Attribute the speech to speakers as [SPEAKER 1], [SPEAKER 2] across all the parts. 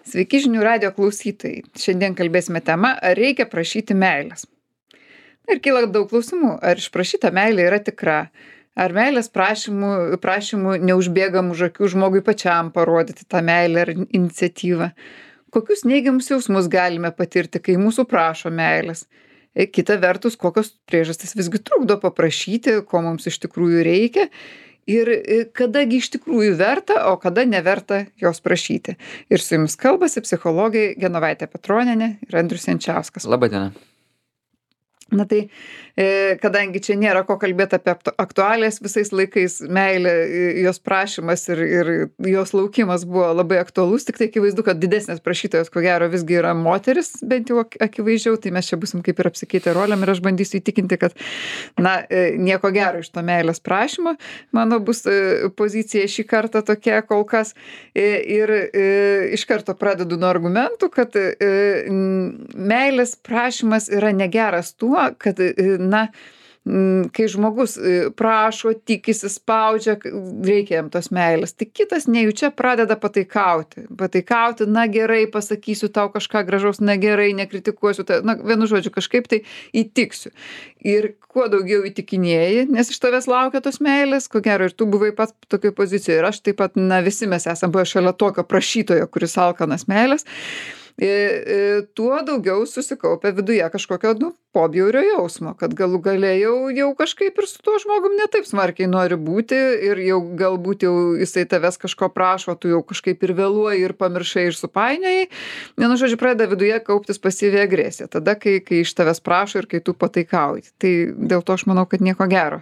[SPEAKER 1] Sveiki žinių radijo klausytojai. Šiandien kalbėsime tema, ar reikia prašyti meilės. Ir kyla daug klausimų, ar išprašyta meilė yra tikra, ar meilės prašymų neužbėgam už akių žmogui pačiam parodyti tą meilę ar iniciatyvą. Kokius neigiamus jausmus galime patirti, kai mūsų prašo meilės. Kita vertus, kokios priežastys visgi trukdo paprašyti, ko mums iš tikrųjų reikia. Ir kadagi iš tikrųjų verta, o kada neverta jos prašyti. Ir su jumis kalbasi psichologai Genovaitė Petronienė ir Andrius Jančiauskas.
[SPEAKER 2] Labadiena.
[SPEAKER 1] Na tai, kadangi čia nėra ko kalbėti apie aktualijas visais laikais, meilė, jos prašymas ir jos laukimas buvo labai aktualus, tik tai akivaizdu, kad didesnės prašytojos, ko gero, visgi yra moteris, bent jau akivaizdžiau, tai mes čia busim kaip ir apsikeitę rolėm ir aš bandysiu įtikinti, kad, nieko gero iš to meilės prašymo, mano bus pozicija šį kartą tokia kol kas ir iš karto pradedu nuo argumentų, kad meilės prašymas yra negeras tuo, kad, kai žmogus prašo, tikisi, spaudžia, reikia jam tos meilės, tai kitas nejučia pradeda pataikauti, gerai, pasakysiu tau kažką gražaus, gerai, nekritikuosiu, vienu žodžiu, kažkaip tai įtiksiu. Ir kuo daugiau įtikinėji, nes iš tavęs laukia tos meilės, ko gero ir tu buvai pats tokioj pozicijoje, ir aš taip pat, visi mes esame buvę šalia tokio prašytojo, kuris alkanas meilės, tuo daugiau susikaupia viduje kažkokio, pobjaurio jausmo, kad galų gale jau kažkaip ir su tuo žmogum ne taip smarkiai nori būti ir jau galbūt jau jisai tavęs kažko prašo, tu jau kažkaip ir vėluoji ir pamiršai ir supainiojai. Vienu žodžiu, pradeda viduje kauptis pasyvi agresija, tada, kai iš tavęs prašo ir kai tu pataikauji. Tai dėl to aš manau, kad nieko gero.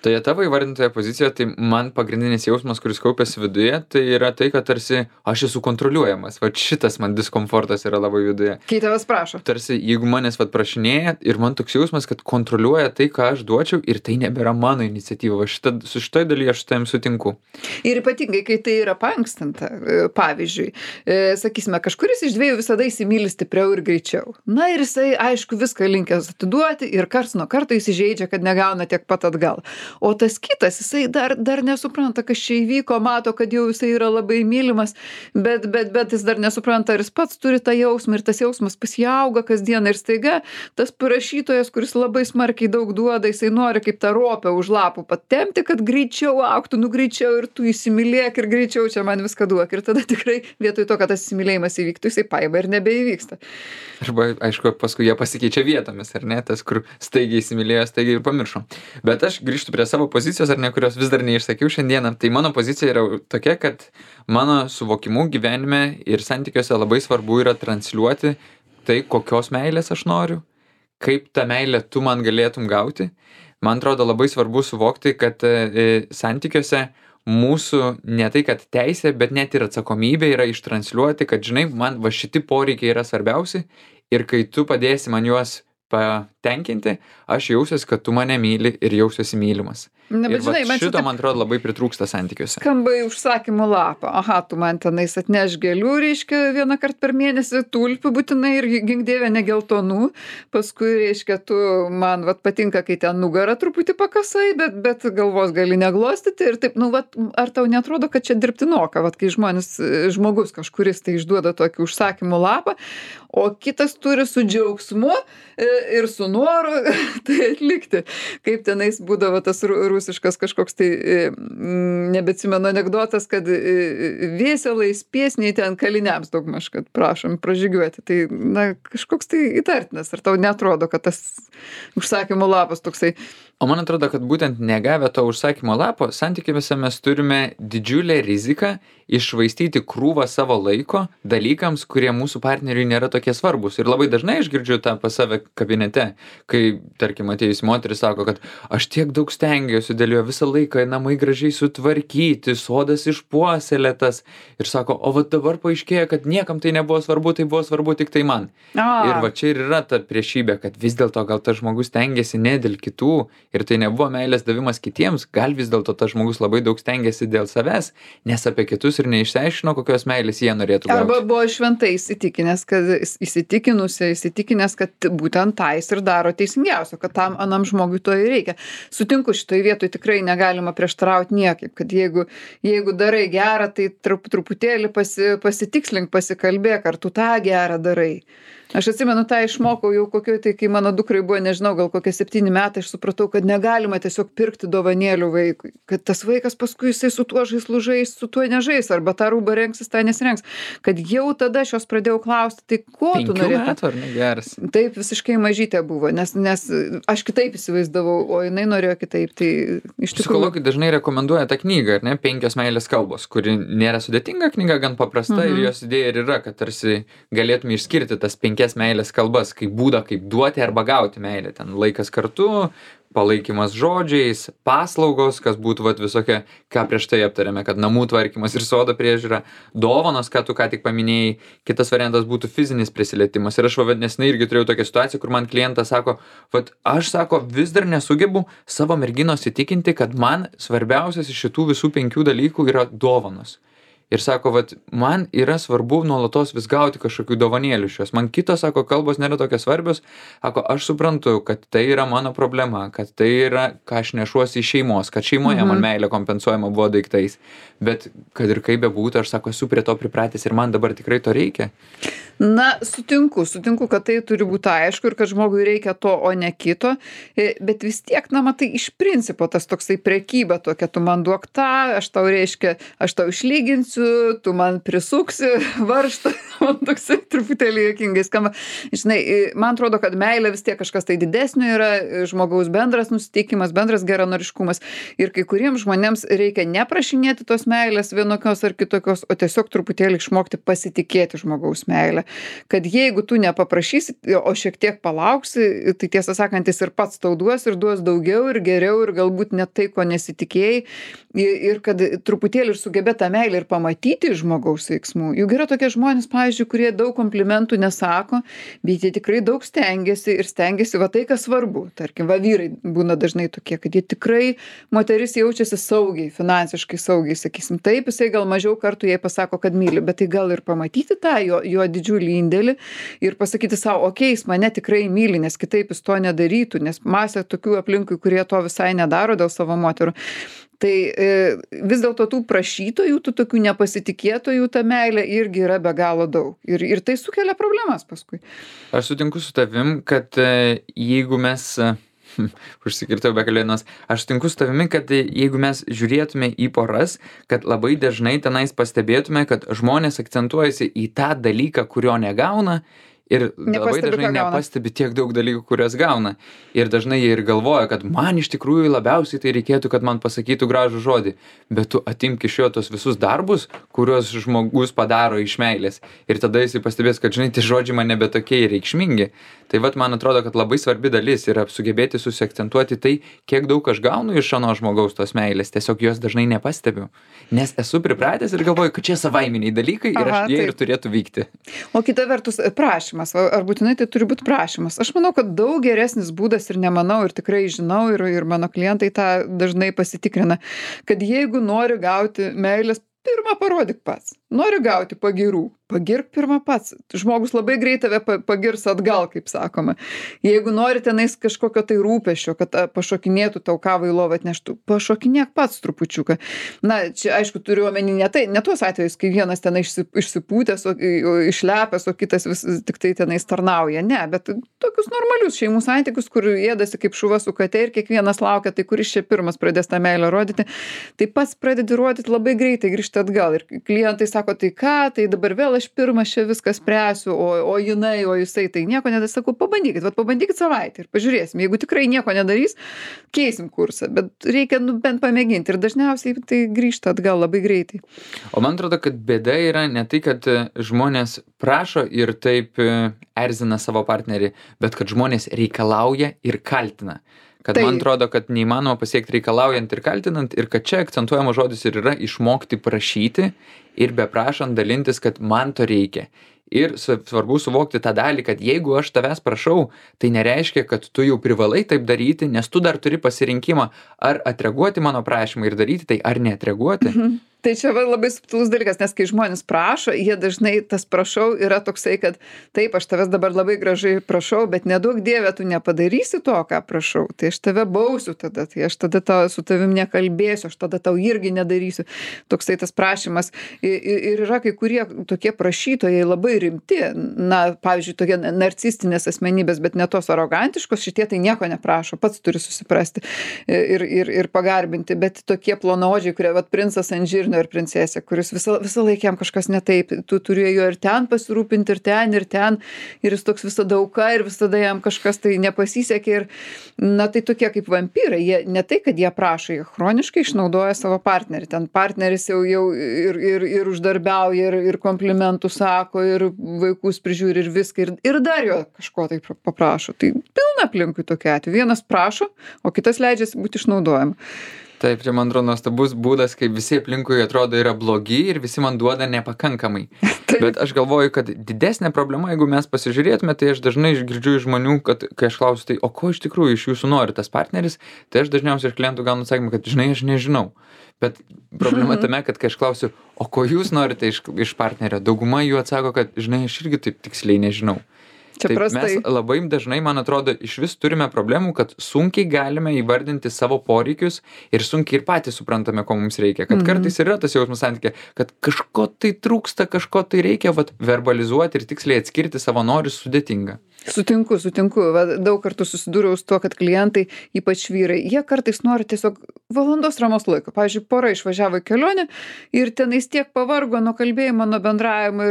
[SPEAKER 2] Toje tavo įvardintoje pozicijoje, tai man pagrindinis jausmas, kuris kaupiasi viduje, tai yra tai, kad tarsi aš esu kontroliuojamas. Vat šitas man diskomfortas yra labai viduje.
[SPEAKER 1] Kai tavęs prašo.
[SPEAKER 2] Tarsi, jeigu manęs prašinėja, ir man toks jausmas, kad kontroliuoja tai, ką aš duočiau, ir tai nebėra mano iniciatyva. Su šitoj dalyje aš su tavim sutinku. Ir
[SPEAKER 1] ypatingai, kai tai yra paankstinta, pavyzdžiui, sakysime, kažkuris iš dviejų visada įsimyli stipriau ir greičiau. Ir jisai, aišku, viską linkęs atiduoti ir karts nuo karto įsižeidžia, kad negauna tiek pat atgal. O tas kitas, jisai dar nesupranta, kas čia įvyko, mato, kad jau jisai yra labai mylimas, bet jis dar nesupranta, ar jis pats turi tą jausmą ir tas jausmas pasijauga kasdieną ir staiga tas prašytojas, kuris labai smarkiai daug duoda, jisai nori kaip tą ropę už lapų patempti, kad greičiau augtų, greičiau ir tu įsimylėk ir greičiau čia man viską duok. Ir tada tikrai vietoj to, kad tas įsimylėjimas įvyktų, jisai paima ir nebeįvyksta.
[SPEAKER 2] Arba, aišku, paskui jie pasikeičia vietomis, ar ne? Tas, kur staigiai įsimylėjo, staigiai ir pamiršo. Bet aš grįžtu prie savo pozicijos, ar ne, kurios vis dar neišsakiau šiandieną. Tai mano pozicija yra tokia, kad mano suvokimu gyvenime ir santykiuose labai svarbu yra transliuoti tai, kokios meilės aš noriu, kaip tą meilę tu man galėtum gauti. Man atrodo labai svarbu suvokti, kad santykiuose mūsų ne tai, kad teisė, bet net ir atsakomybė yra ištransliuoti, kad, žinai, man šiti poreikiai yra svarbiausi ir kai tu padėsi man juos patenkinti, aš jausiuosi, kad tu mane myli ir jausiuosi mylimas.
[SPEAKER 1] Bet žinai,
[SPEAKER 2] šito, man atrodo, labai pritrūksta santykiuose.
[SPEAKER 1] Skamba į užsakymų lapą. Aha, tu man tenais atneš gėlių, reiškia, vieną kartą per mėnesį, tulpių būtinai ir gink dieve ne geltonų. Paskui, reiškia, tu man patinka, kai ten nugarą truputį pakasai, bet galvos gali neglostyti ir taip, ar tau netrodo, kad čia dirbtinoka, kai žmogus kažkuris tai išduoda tokį užsakymų lapą, o kitas turi su džiaugsmu ir su noru tai atlikti. Kaip tenais būdavo tas rusiškas kažkoks tai, nebeatsimenu anekdotas, kad vėselais piesniai ten kaliniams daugmaž, kad prašom pražygiuoti. Tai, kažkoks tai įtartinas. Ar tau netrodo, kad tas užsakymo lapas toksai?
[SPEAKER 2] O man atrodo, kad būtent negavę to užsakymo lapo, santykiuose mes turime didžiulę riziką iššvaistyti krūvą savo laiko dalykams, kurie mūsų partneriui nėra tokie svarbus. Ir labai dažnai aš girdžiu tą pas save kabinete, kai, tarkim, atėjus moteris sako, kad aš tiek daug stengiuosi dėl jo visą laiką, namai gražiai sutvarkyti, sodas išpuoselėtas. Ir sako, o dabar paaiškėja, kad niekam tai nebuvo svarbu, tai buvo svarbu tik tai man. Ir čia ir yra ta priešybė, kad vis dėlto gal tas žmogus stengiasi ne dėl kitų ir tai nebuvo meilės davimas kitiems, gal vis dėlto tas žmogus labai daug stengiasi dėl savęs, nes apie kitus ir neišsiaiškino, kokios meilės jie norėtų gauti.
[SPEAKER 1] Arba buvo šventai įsitikinęs, kad įsitikinęs, kad būtent tą jis ir daro teisingiausio, kad tam anam žmogui to ir reikia. Sutinku, šitoj vietoj tikrai negalima prieštarauti niekaip, kad jeigu darai gerą, tai truputėlį pasitikslink, pasikalbėk, ar tu tą gerą darai. Aš atsimenu, tą išmokau jau kokioj, tai kai mano dukrai buvo, nežinau, gal kokie 7 metai, aš supratau, kad negalima tiesiog pirkti dovanėlių vaikui, kad tas vaikas paskui jisai su tuo žaislu žais, su tuo nežais, arba tą rūbą rengsis, tą nesirengs. Kad jau tada aš jos pradėjau klausti, tai ko tu norėtum?
[SPEAKER 2] 5 metų, ar ne, geras?
[SPEAKER 1] Taip, visiškai mažytė buvo, nes aš kitaip įsivaizdavau, o jinai norėjo kitaip. Tai iš tikrųjų...
[SPEAKER 2] Psichologai dažnai rekomenduoja tą knygą, ar ne, 5 meilės kalbos, kuri nėra sudėtinga knyga, gan paprasta, ir jos idėja ir yra, kad tarsi galėtume išskirti tas 5 meilės kalbas, kaip būdą, kaip duoti arba gauti meilę. Ten laikas kartu, palaikymas žodžiais, paslaugos, kas būtų visokia, ką prieš tai aptarėme, kad namų tvarkymas ir sodo priežiūra, dovanos, ką tu ką tik paminėjai, kitas variantas būtų fizinis prisilietimas. Ir aš nesenai irgi turėjau tokią situaciją, kur man klientas sako, aš vis dar nesugebu savo merginos įtikinti, kad man svarbiausias iš šitų visų 5 dalykų yra dovanos. Ir sako, man yra svarbu nuolatos vis gauti kažkokių dovanėlių šios. Man kitos, sako, kalbos nėra tokios svarbios. Sako, aš suprantu, kad tai yra mano problema, kad tai yra, ką aš nešuosi iš šeimos, kad šeimoje man meilė kompensuojama buvo daiktais. Bet kad ir kaip bebūtų, aš sako, esu prie to pripratęs ir man dabar tikrai to reikia.
[SPEAKER 1] Na, sutinku, kad tai turi būti aišku ir kad žmogui reikia to, o ne kito. Bet vis tiek, matai, iš principo tas toksai prekyba tokia, tu man duok tą, aš tau išlyginsiu, tu man prisuksi varžtą, man toksai truputėlį juokingai skamba. Žinai, man atrodo, kad meilė vis tiek kažkas tai didesnio yra, žmogaus bendras nusiteikimas, bendras geranoriškumas. Ir kai kuriems žmonėms reikia neprašinėti tos meilės vienokios ar kitokios, o tiesiog truputėlį išmokti pasitikėti žmogaus meilę. Kad jeigu tu nepaprašysi, o šiek tiek palauksi, tai tiesą sakant, jis ir pats tau duos ir duos daugiau ir geriau ir galbūt net tai, ko nesitikėjai. Ir kad truputėlį ir sugebė tą meilę ir pamatyti žmogaus veiksmų. Juk yra tokie žmonės, pavyzdžiui, kurie daug komplimentų nesako, bet jie tikrai daug stengiasi tai, kas svarbu. Tarkim, vyrai būna dažnai tokie, kad jie tikrai, moteris jaučiasi saugiai, finansiškai saugiai, sakysim, taip, jisai gal mažiau kartų jai pasako, kad myli, bet tai gal ir pamatyti tą jo didžiulį indėlį ir pasakyti savo, okei, jis mane tikrai myli, nes kitaip jis to nedarytų, nes masė tokių aplinkui, kurie to visai nedaro dėl savo moterų. Tai vis dėlto tų prašytojų, tų tokių nepasitikėtojų ta meilė irgi yra be galo daug. Ir tai sukelia problemas paskui.
[SPEAKER 2] Aš sutinku su tavim, kad jeigu mes... užsikirtau be kalėdinos. Aš sutinku su tavimi, kad jeigu mes žiūrėtume į poras, kad labai dažnai tenais pastebėtume, kad žmonės akcentuojasi į tą dalyką, kurio negauna, ir labai dažnai nepastebi tiek daug dalykų, kurias gauna. Ir dažnai jie ir galvoja, kad man iš tikrųjų labiausiai tai reikėtų, kad man pasakytų gražų žodį. Bet tu atimk iš jo tos visus darbus, kuriuos žmogus padaro iš meilės. Ir tada jisai pastebės, kad, žinai, tie žodžiai man nebe tokie reikšmingi. Tai man atrodo, kad labai svarbi dalis yra sugebėti susiakcentuoti tai, kiek daug aš gaunu iš ano žmogaus tos meilės. Tiesiog jos dažnai nepastebiu. Nes esu pripratęs ir galvoju, kad čia savaiminiai dalykai ir jie ir turėtų vykti.
[SPEAKER 1] O kita vertus, prašymas. Ar būtinai tai turi būti prašymas? Aš manau, kad daug geresnis būdas ir nemanau, ir tikrai žinau, ir mano klientai tą dažnai pasitikrina, kad jeigu nori gauti meilės, pirmą parodyk pats. Nori gauti pagyrų, pagirk pirmą pats. Žmogus labai greit tave pagirs atgal, kaip sakoma. Jeigu nori tenais kažkokio tai rūpesčio, kad pašokinėtų tau kavą į lovą atneštų, pašokinėk pats trupučiuką. Na, čia aišku turiu omeny ne tuos atvejus, kai vienas tenai išsipūtęs, išlepęs, o kitas vis tik tai tenais tarnauja. Ne, bet tokius normalius šeimų santykius, kur ėdasi kaip šuva su kate ir kiekvienas laukia, tai kuris čia pirmas pradės tą meilę rodyti, tai pats pradedi rodyti labai greitai, grįžti atgal. Ir klientai sako, tai ką, tai dabar vėl aš pirmas čia viską spręsiu, o jinai, o jisai, tai nieko nedarys. Sakau, pabandykit savaitę ir pažiūrėsim. Jeigu tikrai nieko nedarys, keisim kursą, bet reikia bent pamėginti ir dažniausiai tai grįžta atgal labai greitai.
[SPEAKER 2] O man atrodo, kad bėda yra ne tai, kad žmonės prašo ir taip erzina savo partnerį, bet kad žmonės reikalauja ir kaltina. Kad man atrodo, kad neįmanoma pasiekti reikalaujant ir kaltinant ir kad čia akcentuojamas žodis ir yra išmokti prašyti ir beprašant dalintis, kad man to reikia. Ir svarbu suvokti tą dalį, kad jeigu aš tavęs prašau, tai nereiškia, kad tu jau privalai taip daryti, nes tu dar turi pasirinkimą ar atreaguoti mano prašymą ir daryti tai, ar neatreaguoti.
[SPEAKER 1] Tai čia va labai subtilus dalykas, nes kai žmonės prašo, jie dažnai tas prašau yra toksai, kad taip, aš tavęs dabar labai gražiai prašau, bet nedaug dievė tu nepadarysi to, ką prašau. Tai aš tave bausiu tada, tai aš tada su tavim nekalbėsiu, aš tada tau irgi nedarysiu. Toksai tas prašymas. Ir yra kai kurie tokie prašytojai labai rimti, na, pavyzdžiui, tokie narcistinės asmenybės, bet ne tos arogantiškos, šitie tai nieko neprašo, pats turi susiprasti ir pagarbinti, bet tokie plonaodžiai, kurie, vat, princas ant žirnio ir princesė, kuris visą laiką jam kažkas ne taip, tu turi jo ir ten pasirūpinti, ir ten, ir jis toks visada auka, ir visada jam kažkas tai nepasisekė, ir, na, tai tokie kaip vampyrai, jie ne tai, kad jie prašo, jie chroniškai išnaudoja savo partnerį, ten partneris jau ir uždarbiauja, ir komplimentų sako, ir vaikus prižiūri, ir viską, ir dar jo kažko tai paprašo, tai pilna aplinkui tokia atveju, vienas prašo, o kitas leidžiasi būti išnaudojama.
[SPEAKER 2] Taip, čia man atrodo nuostabus būdas, kai visi aplinkui atrodo yra blogi ir visi man duoda nepakankamai. Bet aš galvoju, kad didesnė problema, jeigu mes pasižiūrėtume, tai aš dažnai girdžiu iš žmonių, kad kai aš klausiu, tai o ko iš tikrųjų iš jūsų nori tas partneris, tai aš dažniausiai iš klientų gaunu atsakymą, kad žinai, aš nežinau. Bet problema tame, kad kai aš klausiu, o ko jūs norite iš partnerio, dauguma jų atsako, kad žinai, aš irgi taip tiksliai nežinau.
[SPEAKER 1] Čia
[SPEAKER 2] Taip,
[SPEAKER 1] prastai.
[SPEAKER 2] mes labai dažnai, man atrodo, iš vis turime problemų, kad sunkiai galime įvardinti savo poreikius ir sunkiai ir patys suprantame, ko mums reikia. Kad kartais yra tas jausmas santykė, kad kažko tai trūksta, kažko tai reikia, vat, verbalizuoti ir tiksliai atskirti savo norus sudėtinga.
[SPEAKER 1] Sutinku. Va, daug kartų susidūriau su tuo, kad klientai, ypač vyrai, jie kartais nori tiesiog valandos ramos laiko. Pavyzdžiui, pora išvažiavo į kelionę ir tenais tiek pavargo nuo kalbėjimo, nuo bendravimo,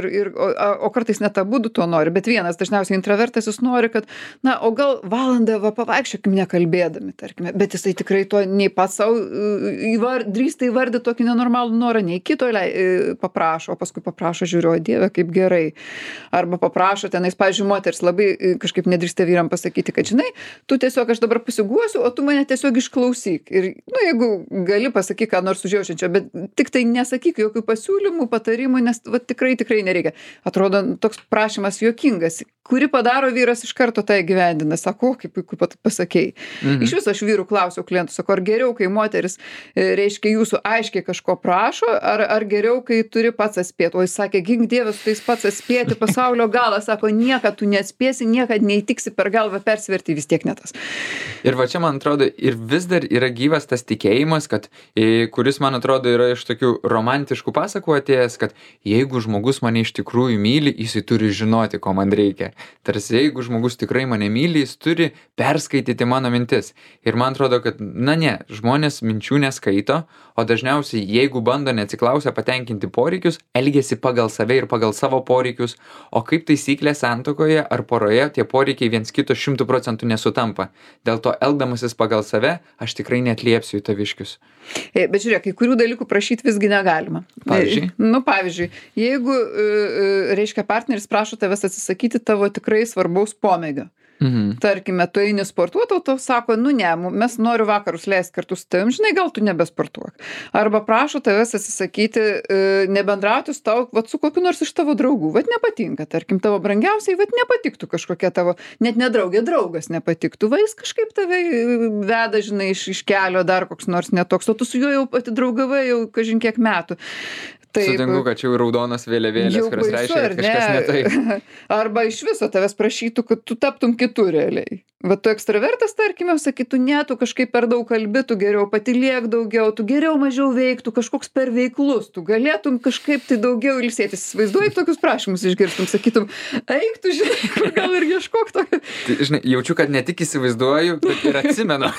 [SPEAKER 1] o kartais net abudu to nori. Bet vienas, dažniausiai intravertas, jis nori, kad, na, o gal valandą pavaikščiokim nekalbėdami, tarkime. Bet jisai tikrai to nei pats savo drįsta įvardyti tokį nenormalų norą, nei kito paprašo, o paskui paprašo, žiūriu, o Dieve, kaip gerai. Arba paprašo tenais, pavyzdžiui, moteris labai kažkaip nedrįsta vyram pasakyti, kad žinai, tu tiesiog aš dabar pasiguosiu, o tu mane tiesiog išklausyk. Ir, nu, jeigu gali pasakyk, ką nors užjaučiančio, bet tik tai nesakyk jokių pasiūlymų, patarimų, nes va, tikrai nereikia. Atrodo, toks prašymas juokingas. Kuri padaro vyras iš karto tai gyvendina, sako, kaip puiku pasakei. Iš viso aš vyrų klausiau klientų, sako, ar geriau, kai moteris, reiškia, jūsų aiškiai kažko prašo, ar geriau, kai turi pats atspėti. O jis sakė, gink Dievas, tu tais pats atspėti pasaulio galą, sako, niekad tu neatspėsi, niekad neįtiksi per galvą persverti, vis tiek ne tas.
[SPEAKER 2] Ir va čia, man atrodo, ir vis dar yra gyvas tas tikėjimas, kad, kuris, man atrodo, yra iš tokių romantiškų pasakų atėjęs, kad jeigu žmogus mane iš tikrųjų myli, jisai turi žinoti, ko man reikia. Tarsi, jeigu žmogus tikrai mane myli, jis turi perskaityti mano mintis. Ir man atrodo, kad, na ne, žmonės minčių neskaito, o dažniausiai, jeigu bando neatsiklausę patenkinti poreikius, elgiasi pagal save ir pagal savo poreikius, o kaip taisyklė santuokoje ar poroje tie poreikiai viens kito 100% nesutampa. Dėl to, elgdamasis pagal save, aš tikrai neatliepsiu į taviškius.
[SPEAKER 1] Bet žiūrėk, kai kurių dalykų prašyti visgi negalima.
[SPEAKER 2] Pavyzdžiui?
[SPEAKER 1] Nu, pavyzdžiui, jeigu, reiškia, partneris prašo tavęs atsisakyti tavo tikrai svarbaus pomėgio. Tarkime, tu eini sportuoti, o tau sako, nu ne, mes noriu vakarus leisti kartu su tavim, žinai, gal tu nebesportuok. Arba prašo tavęs atsisakyti, nebendrauti su tau, vat su kokiu nors iš tavo draugų, vat nepatinka, tarkim, tavo brangiausiai, vat nepatiktų kažkokia tavo, net nedraugė, draugas nepatiktų, va jis kažkaip tave veda, žinai, iš kelio dar koks nors netoks, o tu su juo jau atidraugavai jau kažin kiek metų. Taip,
[SPEAKER 2] sutinku, kad čia jau raudonas vėliavėlės, kurios reiškia, kad kažkas ne taip.
[SPEAKER 1] Arba iš viso tavęs prašytų, kad tu taptum kitų realiai. Va tu ekstravertas, tarkime, sakytų, ne, tu kažkaip per daug kalbi, tu geriau patylėk daugiau, tu geriau mažiau veiktų, kažkoks per veiklus, tu galėtum kažkaip tai daugiau ilsėtis. Įsivaizduoji, tokius prašymus išgirstum, sakytum, eik tu, žinai, kur gal ir ieškok tokio.
[SPEAKER 2] Tai, žinai, jaučiu, kad ne tik įsivaizduoju, bet ir atsimenu.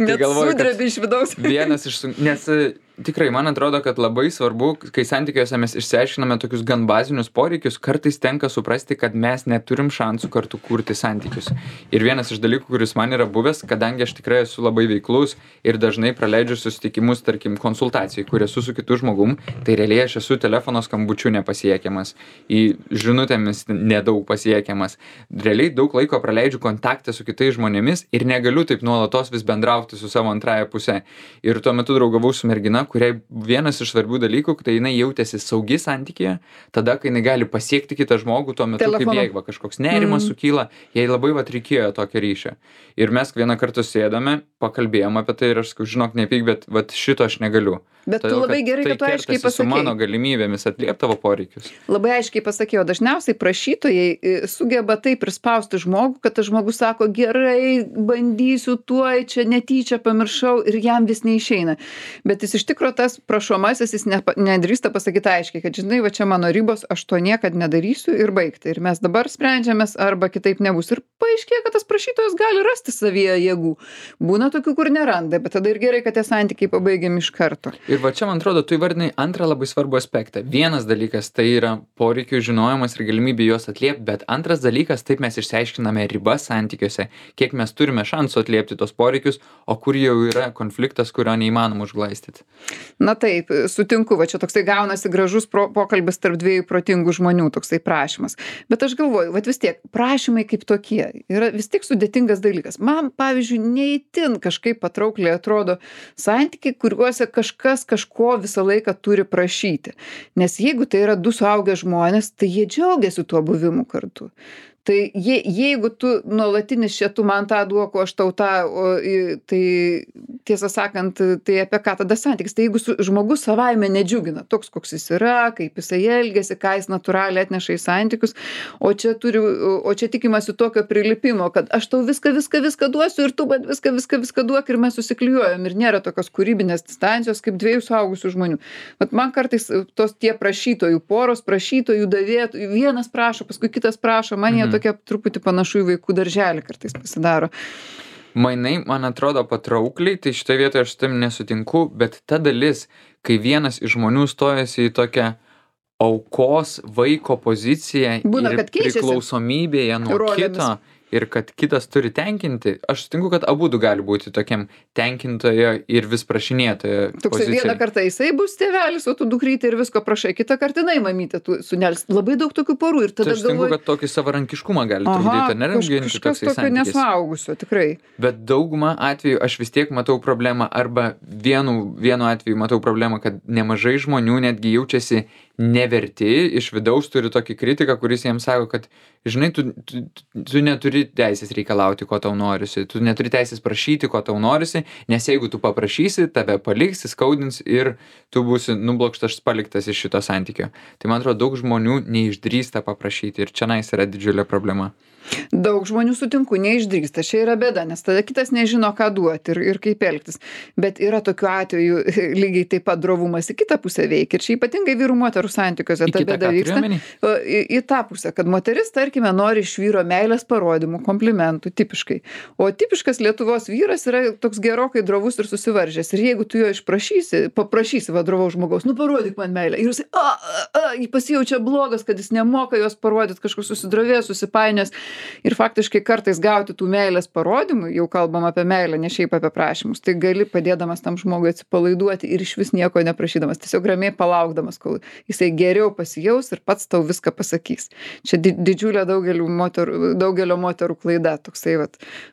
[SPEAKER 1] Net sudrebi iš vidaus.
[SPEAKER 2] Vienas iš nes tikrai, man atrodo, kad labai svarbu, kai santykiuose mes išsiaiškiname tokius gan bazinius poreikius, kartais tenka suprasti, kad mes neturim šansų kartu kurti santykius. Ir vienas iš dalykų, kuris man yra buvęs, kadangi aš tikrai esu labai veiklus ir dažnai praleidžiu susitikimus, tarkim, konsultacijai, kur esu su kitu žmogum, tai realiai aš esu telefono skambučiu nepasiekiamas, į žinutėmis nedaug pasiekiamas. Realiai daug laiko praleidžiu kontaktą su kitais žmonėmis ir negaliu taip nuolatos vis bendrauti su savo antrąja puse. Ir tuo metu draugavau su mergina, kuriai vienas iš svarbių dalykų, tai jinai jautėsi saugi santykyje, tada, kai jinai gali pasiekti kitą žmogų tuo metu,
[SPEAKER 1] Telefonu.
[SPEAKER 2] kaip jai kažkoks nerimas sukyla, jai labai reikėjo tokio ryšio. Ir mes vieną kartą sėdame, pakalbėjom apie tai ir aš sakau, žinok, nepyk, bet šito aš negaliu.
[SPEAKER 1] Bet tu labai gerai, kad tu aiškiai
[SPEAKER 2] pasakei. Tai kertasi su mano
[SPEAKER 1] pasakei.
[SPEAKER 2] galimybėmis atliepti tavo poreikius.
[SPEAKER 1] Labai aiškiai pasakėjau, dažniausiai prašytojai sugeba taip prispausti žmogų, kad tas žmogus sako, gerai, bandysiu tuoj, čia netyčia pamiršau ir jam vis neišeina. Bet jis iš tikro tas prašomasis, jis nedrįsta pasakyti aiškiai, kad žinai, va čia mano ribos, aš to niekad nedarysiu ir baigti. Ir mes dabar sprendžiamės arba kitaip nebus. Ir paaiškėja, kad tas prašytojas gali rasti savyje jėgų. Būna tokių, kur neranda, bet tada ir gerai, kad tie santykiai pabaigiami iš karto.
[SPEAKER 2] Ir va čia, man atrodo, tu įvardinai antrą labai svarbų aspektą. Vienas dalykas tai yra poreikių žinojimas ir galimybė juos atliepti, bet antras dalykas, taip mes išsiaiškiname ribas santykiuose, kiek mes turime šansų atliepti tos poreikius, o kur jau yra konfliktas, kurio neįmanoma užglaistyti.
[SPEAKER 1] Na taip, sutinku, va čia toksai gaunasi gražus pokalbis tarp dviejų protingų žmonių, toksai prašymas. Bet aš galvoju, va vis tiek, prašymai kaip tokie yra vis tiek sudėtingas dalykas. Man, pavyzdžiui, neįtin kažkaip patraukliai atrodo santykiai, kuriuose kažko visą laiką turi prašyti. Nes jeigu tai yra du suaugę žmonės, tai jie džiaugiasi tuo buvimu kartu. Tai jeigu tu nuolatinis čia tu man tą duok, o aš tau tą, tai tiesą sakant, tai apie ką tada santykis? Tai jeigu žmogus savaime nedžiugina, toks koks jis yra, kaip jisai elgiasi, ką jis natūraliai atneša į santykius, o čia tikimasi tokio prilipimo, kad aš tau viską duosiu ir tu man viską duok ir mes susiklijuojam ir nėra tokios kūrybinės distancijos kaip dviejų suaugusių žmonių. Vat man kartais tie prašytojų poros, prašytojų davėtų, vienas prašo, paskui kitas prašo, man jie tokia truputį panašu į vaikų darželį kartais pasidaro.
[SPEAKER 2] Mainai, man atrodo, patraukliai, tai šitoje vietoje aš tam nesutinku, bet ta dalis, kai vienas iš žmonių stojasi į tokią aukos vaiko poziciją
[SPEAKER 1] Būna,
[SPEAKER 2] ir
[SPEAKER 1] kad keičiasi
[SPEAKER 2] priklausomybėje nuo
[SPEAKER 1] rolėmis.
[SPEAKER 2] kito ir kad kitas turi tenkinti, aš sutinku, kad abudu gali būti tokiam tenkintojo ir vis prašinėtojo
[SPEAKER 1] Toksai vieną
[SPEAKER 2] pozicijoje.
[SPEAKER 1] kartą jisai bus tėvelis, o tu dukrytė ir visko prašai, kitą kartą jinai mamytė, tu sunelis. Labai daug tokių porų ir
[SPEAKER 2] Tai
[SPEAKER 1] tada
[SPEAKER 2] aš sutinku,
[SPEAKER 1] galvoju,
[SPEAKER 2] kad tokį savarankiškumą gali trukdyti, ar nėra ginti
[SPEAKER 1] kažkas
[SPEAKER 2] toksai
[SPEAKER 1] tokio
[SPEAKER 2] santykis.
[SPEAKER 1] nesuaugusio, tikrai.
[SPEAKER 2] Bet daugumą atvejų aš vis tiek matau problemą arba vienu atveju matau problemą, kad nemažai žmonių netgi jaučiasi neverti, iš vidaus turi tokį kritiką, kuris jiems sako, kad žinai, tu neturi teisės reikalauti, ko tau norisi, tu neturi teisės prašyti, ko tau norisi, nes jeigu tu paprašysi, tave paliks, skaudins ir tu būsi nublokštas, paliktas iš šito santykio. Tai man atrodo, daug žmonių neišdrįsta paprašyti ir čionais yra didžiulė problema.
[SPEAKER 1] Daug žmonių sutinku, neišdrįsta, čia yra bėda, nes tada kitas nežino, ką duoti ir kaip elgtis. Bet yra tokių atvejų, lygiai taip pat drovumas į kitą pusę veikia. Ir čia ypatingai vyrų moterų santykiuose ta bėda vyksta. Į tą pusę, kad moteris, tarkime, nori iš vyro meilės parodymų, komplimentų, tipiškai. O tipiškas Lietuvos vyras yra toks gerokai drovus ir susivaržęs. Ir jeigu tu jo paprašysi drovaus žmogaus, parodyk man meilę. Ir jis pasijaučia blogas, kad jis nemoka jos parodyti, kažkoks susidrovėjęs, susipainęs. Ir faktiškai kartais gauti tų meilės parodymų, jau kalbam apie meilę, ne šiaip apie prašymus, tai gali padėdamas tam žmogui atsipalaiduoti ir iš vis nieko neprašydamas, tiesiog ramiai palaukdamas, kol jisai geriau pasijaus ir pats tau viską pasakys. Čia didžiulė daugelio moterų klaida, toksai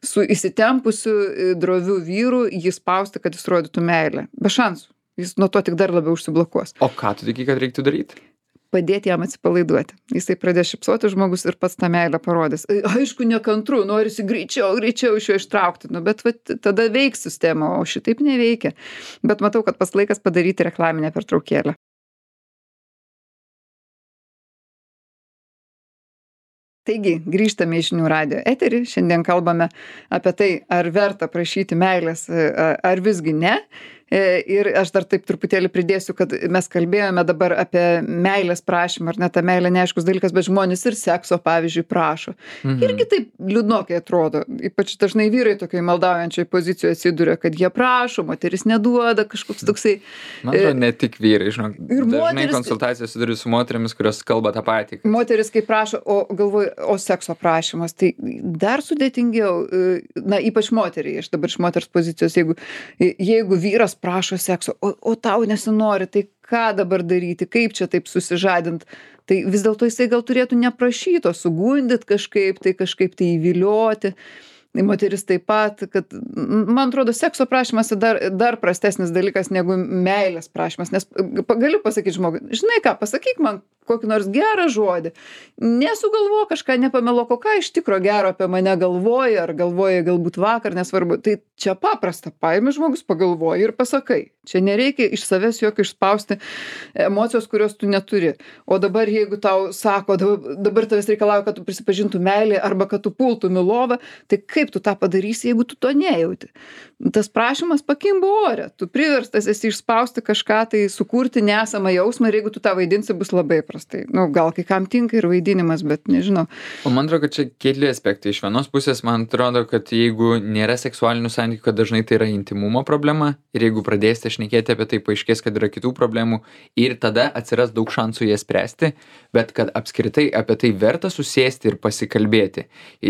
[SPEAKER 1] su įsitempusiu droviu vyru jį spausti, kad jis rodytų meilę. Be šansų. Jis nuo to tik dar labiau užsiblokuos.
[SPEAKER 2] O ką tu tiki, kad reiktų daryti?
[SPEAKER 1] Padėti jam atsipalaiduoti. Jisai pradės šypsoti žmogus ir pats tą meilę parodys. Aišku, nekantru, norisi greičiau iš jo ištraukti, bet tada veiks sistema, o šitaip neveikia. Bet matau, kad pas laikas padaryti reklaminę pertraukėlę. Taigi, grįžtame į Žinių radijo eterį. Šiandien kalbame apie tai, ar verta prašyti meilės, ar visgi ne. Ir aš dar taip truputėlį pridėsiu, kad mes kalbėjome dabar apie meilės prašymą, ar ne, ta meilė neaiškus dalykas, bet žmonės ir sekso, pavyzdžiui, prašo. Irgi taip liūdnokai atrodo. Ypač dažnai vyrai tokiai maldaujančiai pozicijoje atsiduria, kad jie prašo, moteris neduoda, kažkoks toksai.
[SPEAKER 2] Man atrodo, ne tik vyrai, žinok.
[SPEAKER 1] Ir
[SPEAKER 2] dažnai konsultacijos suduriu su moterimis, kurios kalba tą patį.
[SPEAKER 1] Moteris, kai prašo, o sekso prašymas, tai dar sudėtingiau, ypač moteriai, aš dabar iš moters pozicijos, jeigu vyras prašo sekso, o tau nesinori, tai ką dabar daryti, kaip čia taip susižadint, tai vis dėlto jisai gal turėtų neprašyto, sugundyti kažkaip tai įvilioti. moteris taip pat, kad, man atrodo, sekso prašymas dar prastesnis dalykas negu meilės prašymas, nes galiu pasakyti žmogui, žinai ką, pasakyk man kokį nors gerą žodį, nesugalvo kažką, nepameluok, o ką iš tikro gero apie mane galvoji, ar galvoji galbūt vakar, nesvarbu, tai čia paprasta, paimi žmogus, pagalvoji ir pasakai. Čia nereikia iš savęs jokio išspausti emocijos, kurios tu neturi. O dabar, jeigu tau sako, dabar tavęs reikalauja, kad tu prisipažintų meilį arba kad tu pultum į lovą, tai kaip tu tą padarysi, jeigu tu to nejauti? Tas prašymas pakimba ore. Tu priverstas esi išspausti kažką, tai sukurti nesamą jausmą ir jeigu tu tą vaidinsi, bus labai prastai. Nu, gal kai kam tinka ir vaidinimas, bet nežinau.
[SPEAKER 2] O man atrodo, kad čia keli aspektai. Iš vienos pusės, man atrodo, kad jeigu nėra seksualinių santykių, kad dažnai tai yra intimumo problema ir jeigu pradėsite šnekėti apie tai, paaiškės, kad yra kitų problemų ir tada atsiras daug šansų jas spręsti, bet kad apskritai apie tai verta susėsti ir pasikalbėti.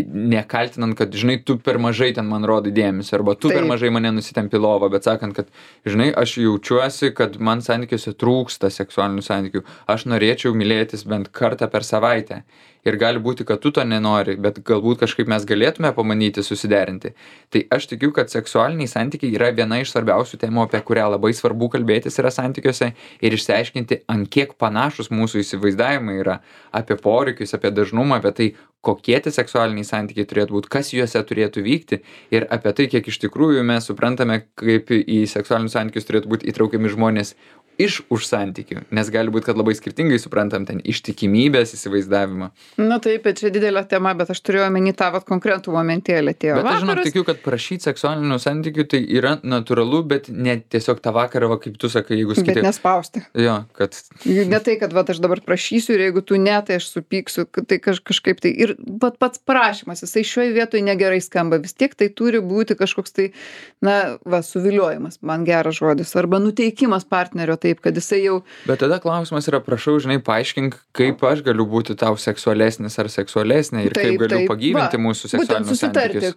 [SPEAKER 2] Nekaltinant, kad, žinai, tu per mažai ten man rodai dėmesio, arba tu per mažai mane nusitempi lovą, bet sakant, kad, žinai, aš jaučiuosi, kad man santykiuose trūksta seksualinių santykių. Aš norėčiau mylėtis bent kartą per savaitę. Ir gali būti, kad tu to nenori, bet galbūt kažkaip mes galėtume pamanyti susiderinti. Tai aš tikiu, kad seksualiniai santykiai yra viena iš svarbiausių temų, apie kurią labai svarbu kalbėtis yra santykiuose ir išsiaiškinti, ant kiek panašus mūsų įsivaizdavimai yra apie poreikius, apie dažnumą, apie tai, kokie tie seksualiniai santykiai turėtų būti, kas juose turėtų vykti ir apie tai, kiek iš tikrųjų mes suprantame, kaip į seksualinius santykius turėtų būti įtraukiami žmonės iš už santykių, nes gali būti, kad labai skirtingai suprantam ten ištikimybės įsivaizdavimą.
[SPEAKER 1] Na taip, čia didelė tema, bet aš turėjau omeny tą vat konkretų momentėlį.
[SPEAKER 2] Bet aš žinau, tikiu, kad prašyti seksualinių santykių tai yra natūralu, bet ne tiesiog tą vakarą, va, kaip tu sakai, jeigu skaitai.
[SPEAKER 1] Bet nespausti.
[SPEAKER 2] Jo, kad...
[SPEAKER 1] Ne tai, kad vat, aš dabar prašysiu ir jeigu tu ne, tai aš supyksiu, tai kažkaip tai. Ir pats prašymas, jisai šioje vietoje negerai skamba. Vis tiek tai turi būti kažkoks tai, na, va, suviliojimas, man geras žodis, arba nuteikimas partnerio taip, kad jisai jau...
[SPEAKER 2] Bet tada klausimas yra, prašau, žinai, paaiškink, kaip aš galiu būti tau seksualesnis ar seksualesnė ir kaip galiu pagyvinti mūsų seksualinius santykius.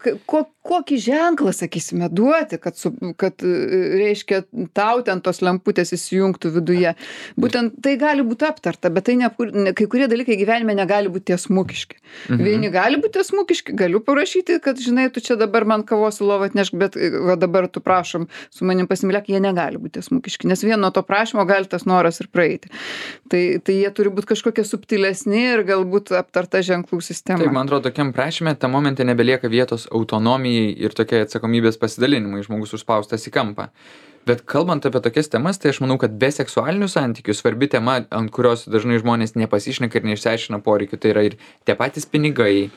[SPEAKER 1] Kokį ženklą, sakysime, duoti, kad reiškia, tau ten tos lemputės įsijungtų viduje. Būtent tai gali būti aptarta, bet tai kai kurie dalykai gyvenime negali būti tiesmukiški. Vieni gali būti tiesmukiški, galiu parašyti, kad, žinai, tu čia dabar man kavos į lovą atnešk, bet va, dabar tu prašom su manim pasimylėk, jie negali būti tiesmukiški, nes vieno to prašymo gali tas noras ir praeiti. Tai jie turi būti kažkokie subtilesni ir galbūt aptarta ženklų sistema.
[SPEAKER 2] Taip, man atrodo, tokiam prašyme tą momentą nebelieka vietos autonomijai ir tokiai atsakomybės pasidalinimui, žmogus užspaustas į kampą. Bet kalbant apie tokias temas, tai aš manau, kad be seksualinių santykių svarbi tema, ant kurios dažnai žmonės nepasišneka ir neišsiaiškina poreikių, tai yra ir tie patys pinigai,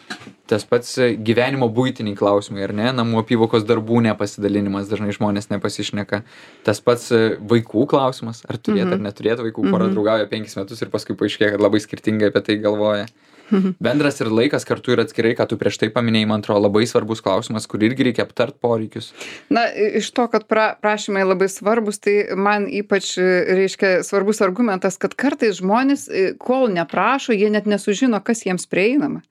[SPEAKER 2] tas pats gyvenimo buitiniai klausimai, ar ne, namų apyvokos darbų nepasidalinimas, dažnai žmonės nepasišneka, tas pats vaikų klausimas, ar turėt ar neturėt vaikų, pora draugauja 5 metus ir paskui paaiškėja, kad labai skirtingai apie tai galvoja. Bendras ir laikas kartu ir atskirai, ką tu prieš tai paminėjai, man atrodo, labai svarbus klausimas, kur irgi reikia aptart poreikius.
[SPEAKER 1] Na, iš to, kad prašymai labai svarbus, tai man ypač reiškia svarbus argumentas, kad kartais žmonės, kol neprašo, jie net nesužino, kas jiems prieinama.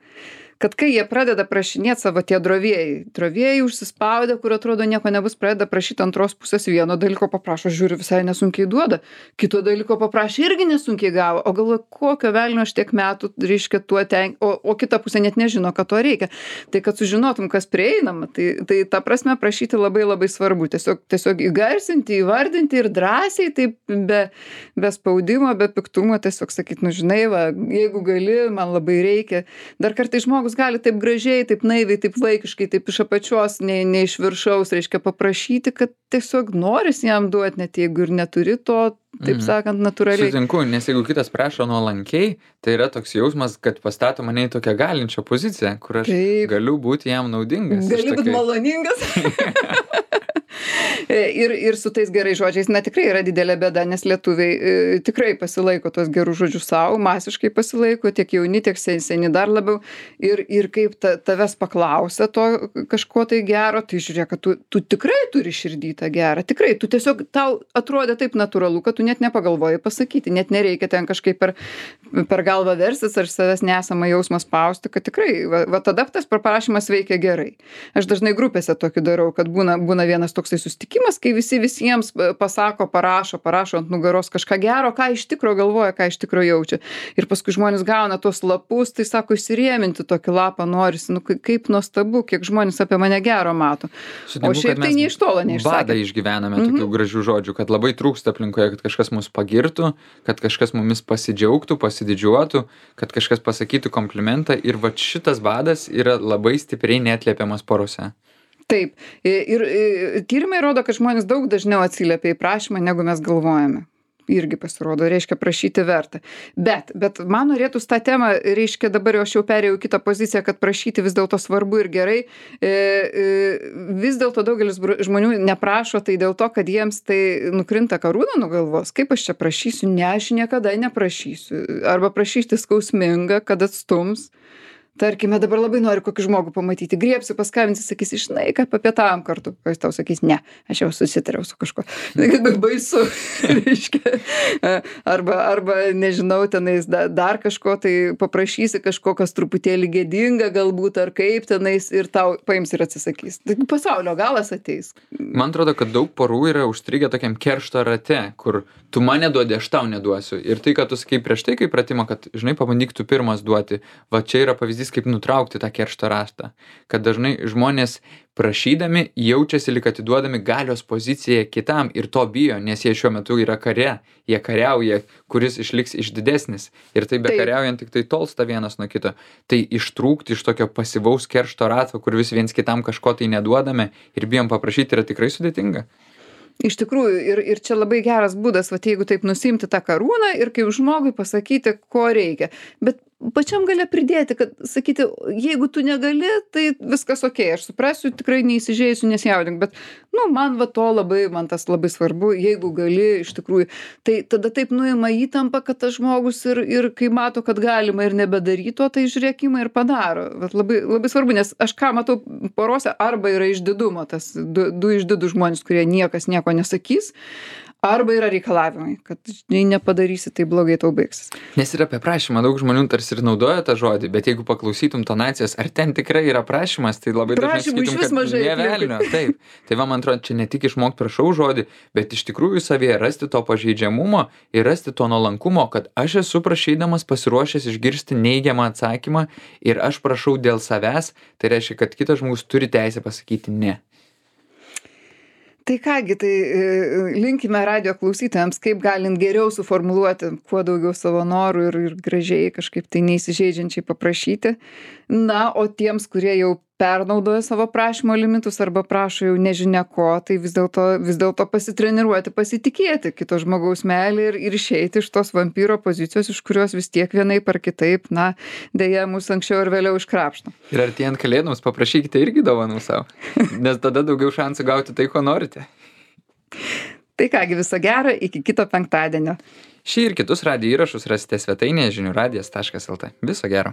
[SPEAKER 1] Kad kai jie pradeda prašinėti savo tie drovėjai užsispaudę, kur atrodo nieko nebus, pradeda prašyti antros pusės, vieno dalyko paprašo, žiūri, visai nesunkiai duoda, kito dalyko paprašė, irgi nesunkiai gavo, o galvoja, kokio velnio aš tiek metų, reiškia, tuo o kita pusė net nežino, kad to reikia. Tai kad sužinotum, kas prieinama, tai ta prasme prašyti labai labai svarbu, tiesiog įgarsinti, įvardinti ir drąsiai, taip be spaudimo, be piktumo, tiesiog sakyti, nu žinai, va, jeigu gali, man labai reikia. Dar kartais žmogus gali taip gražiai, taip naiviai, taip vaikiškai, taip iš apačios, ne iš viršaus, reiškia paprašyti, kad tiesiog noris jam duoti, net jeigu ir neturi to, taip sakant, natūraliai.
[SPEAKER 2] Sutinku, nes jeigu kitas prašo nuolankiai, tai yra toks jausmas, kad pastato mane į tokią galinčią poziciją, kur aš galiu būti jam naudingas.
[SPEAKER 1] Gali būti maloningas. Ir su tais gerais žodžiais, na tikrai yra didelė bėda, nes lietuviai tikrai pasilaiko tos gerų žodžių savo, masiškai pasilaiko, tiek jauni, tiek seni dar labiau. Ir kaip tavęs paklausia to kažko tai gero, tai žiūrėk, kad tu tikrai turi širdį tą gerą, tikrai, tu tiesiog tau atrodė taip natūralu, kad tu net nepagalvoji pasakyti, net nereikia ten kažkaip per galvą versis ar savęs nesamą jausmą spausti, kad tikrai, va tada tas prašymas veikia gerai. Aš dažnai grupėse tokį darau, kad būna vienas toksai susitikimas, išsireiškimas, kai visi visiems pasako, parašo ant nugaros kažką gero, ką iš tikro galvoja, ką iš tikro jaučia. Ir paskui žmonės gauna tuos lapus, tai sako, įsirėminti tokį lapą norisi. Nu, kaip nuostabu, kiek žmonės apie mane gero mato.
[SPEAKER 2] Sutinku,
[SPEAKER 1] O šiaip tai nei iš tolo neišsakė.
[SPEAKER 2] Badą išgyvename tokių gražių žodžių, kad labai trūksta aplinkoje, kad kažkas mus pagirtų, kad kažkas mumis pasidžiaugtų, pasididžiuotų, kad kažkas pasakytų komplimentą ir va šitas badas yra labai stipriai neatliepiamas porose.
[SPEAKER 1] Taip. Ir tyrimai rodo, kad žmonės daug dažniau atsiliepia į prašymą, negu mes galvojame. Irgi pasirodo, reiškia prašyti verta. Bet man norėtųs tą temą, reiškia dabar jau aš jau perėjau į kitą poziciją, kad prašyti vis dėlto svarbu ir gerai. Vis dėlto daugelis žmonių neprašo tai dėl to, kad jiems tai nukrinta karūna nuo galvos. Kaip aš čia prašysiu? Ne, aš niekada neprašysiu. Arba prašyti skausminga, kad atstums. Tarkime, dabar labai noriu kokį žmogų pamatyti, griebsiu, paskambinsiu, sakysi, žinai, kad papietavom kartu. O jis tau sakys, ne, aš jau susitariau su kažkuo. Baisu, reiškia. Arba nežinau, tenais dar kažko, tai paprašysi kažko, kas truputėlį gėdinga galbūt, ar kaip tenais, ir tau paims ir atsisakys. Tai pasaulio galas ateis.
[SPEAKER 2] Man atrodo, kad daug porų yra užstrigę tokiam keršto rate, kur tu man neduodi, aš tau neduosiu. Ir tai, kad tu sakai prieš tai, kaip pratimą, kad, žinai, pabandyk tu pirmas duoti. Va čia yra pavyzdys, kaip nutraukti tą keršto ratą. Kad dažnai žmonės prašydami jaučiasi, lyg atiduodami galios poziciją kitam ir to bijo, nes jie šiuo metu yra kare. Jie kariauja, kuris išliks didesnis. Ir tai bekariaujant tik tai tolsta vienas nuo kito. Tai ištrūkti iš tokio pasyvaus keršto rato, kur vis viens kitam kažko tai neduodame ir bijom paprašyti, yra tikrai sudėtinga.
[SPEAKER 1] Iš tikrųjų, ir čia labai geras būdas, va, jeigu taip nusimti tą karūną ir kaip žmogui pasakyti, ko reikia. Bet pačiam gale pridėti, kad sakyti, jeigu tu negali, tai viskas okei, aš suprasiu, tikrai neįsižeisiu, nesijaudink, bet, man tas labai svarbu, jeigu gali, iš tikrųjų, tai tada taip nuima įtampa, kad tas žmogus ir kai mato, kad galima ir nebedaryto, tai žiūrėkimą ir padaro. Vat labai, labai svarbu, nes aš ką matau porose, arba yra išdidumo, tas du išdidų žmonės, kurie niekas nieko nesakys, arba yra reikalavimai, kad jei nepadarysi, tai blogai tau baigsis.
[SPEAKER 2] Nes ir apie prašymą daug žmonių tarsi ir naudoja tą žodį, bet jeigu paklausytum tonacijas, ar ten tikrai yra prašymas, tai labai dažnai sakytum, kad ne velnio. Taip. Tai man atrodo, čia ne tik išmokti prašau žodį, bet iš tikrųjų savyje rasti to pažeidžiamumo ir rasti to nuolankumo, kad aš esu prašydamas pasiruošęs išgirsti neigiamą atsakymą ir aš prašau dėl savęs, tai reiškia, kad kitas žmogus turi teisę pasakyti ne.
[SPEAKER 1] Tai kągi, tai linkime radijo klausytojams, kaip galint geriau suformuluoti kuo daugiau savo norų ir gražiai kažkaip tai neįsižeidžiančiai paprašyti. Na, o tiems, kurie jau pernaudoja savo prašymo limitus arba prašo jau nežinia ko, tai vis dėlto pasitreniruoti, pasitikėti kito žmogaus meilę ir išeiti iš tos vampyro pozicijos, iš kurios vis tiek vienaip ar kitaip, deja, mūsų anksčiau ir vėliau iškrapšto.
[SPEAKER 2] Ir artėjant kalėdoms paprašykite irgi dovanų savo, nes tada daugiau šansų gauti tai, ko norite.
[SPEAKER 1] Tai kągi, viso gero, iki kito penktadienio.
[SPEAKER 2] Šį ir kitus radijo įrašus rasite svetainėje žinių radijas.lt. Viso gero.